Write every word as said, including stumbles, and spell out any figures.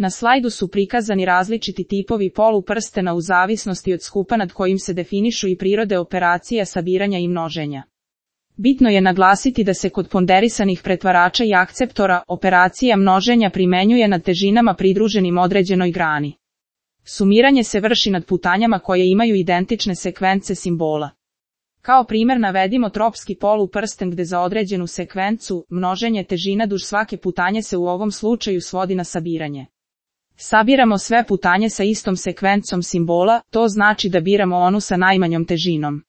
Na slajdu su prikazani različiti tipovi poluprstena u zavisnosti od skupa nad kojim se definišu i prirode operacija sabiranja i množenja. Bitno je naglasiti da se kod ponderisanih pretvarača i akceptora operacija množenja primenjuje nad težinama pridruženim određenoj grani. Sumiranje se vrši nad putanjama koje imaju identične sekvence simbola. Kao primjer navedimo tropski poluprsten gde za određenu sekvencu množenje težina duž svake putanje se u ovom slučaju svodi na sabiranje. Sabiramo sve putanje sa istom sekvencom simbola, to znači da biramo onu sa najmanjom težinom.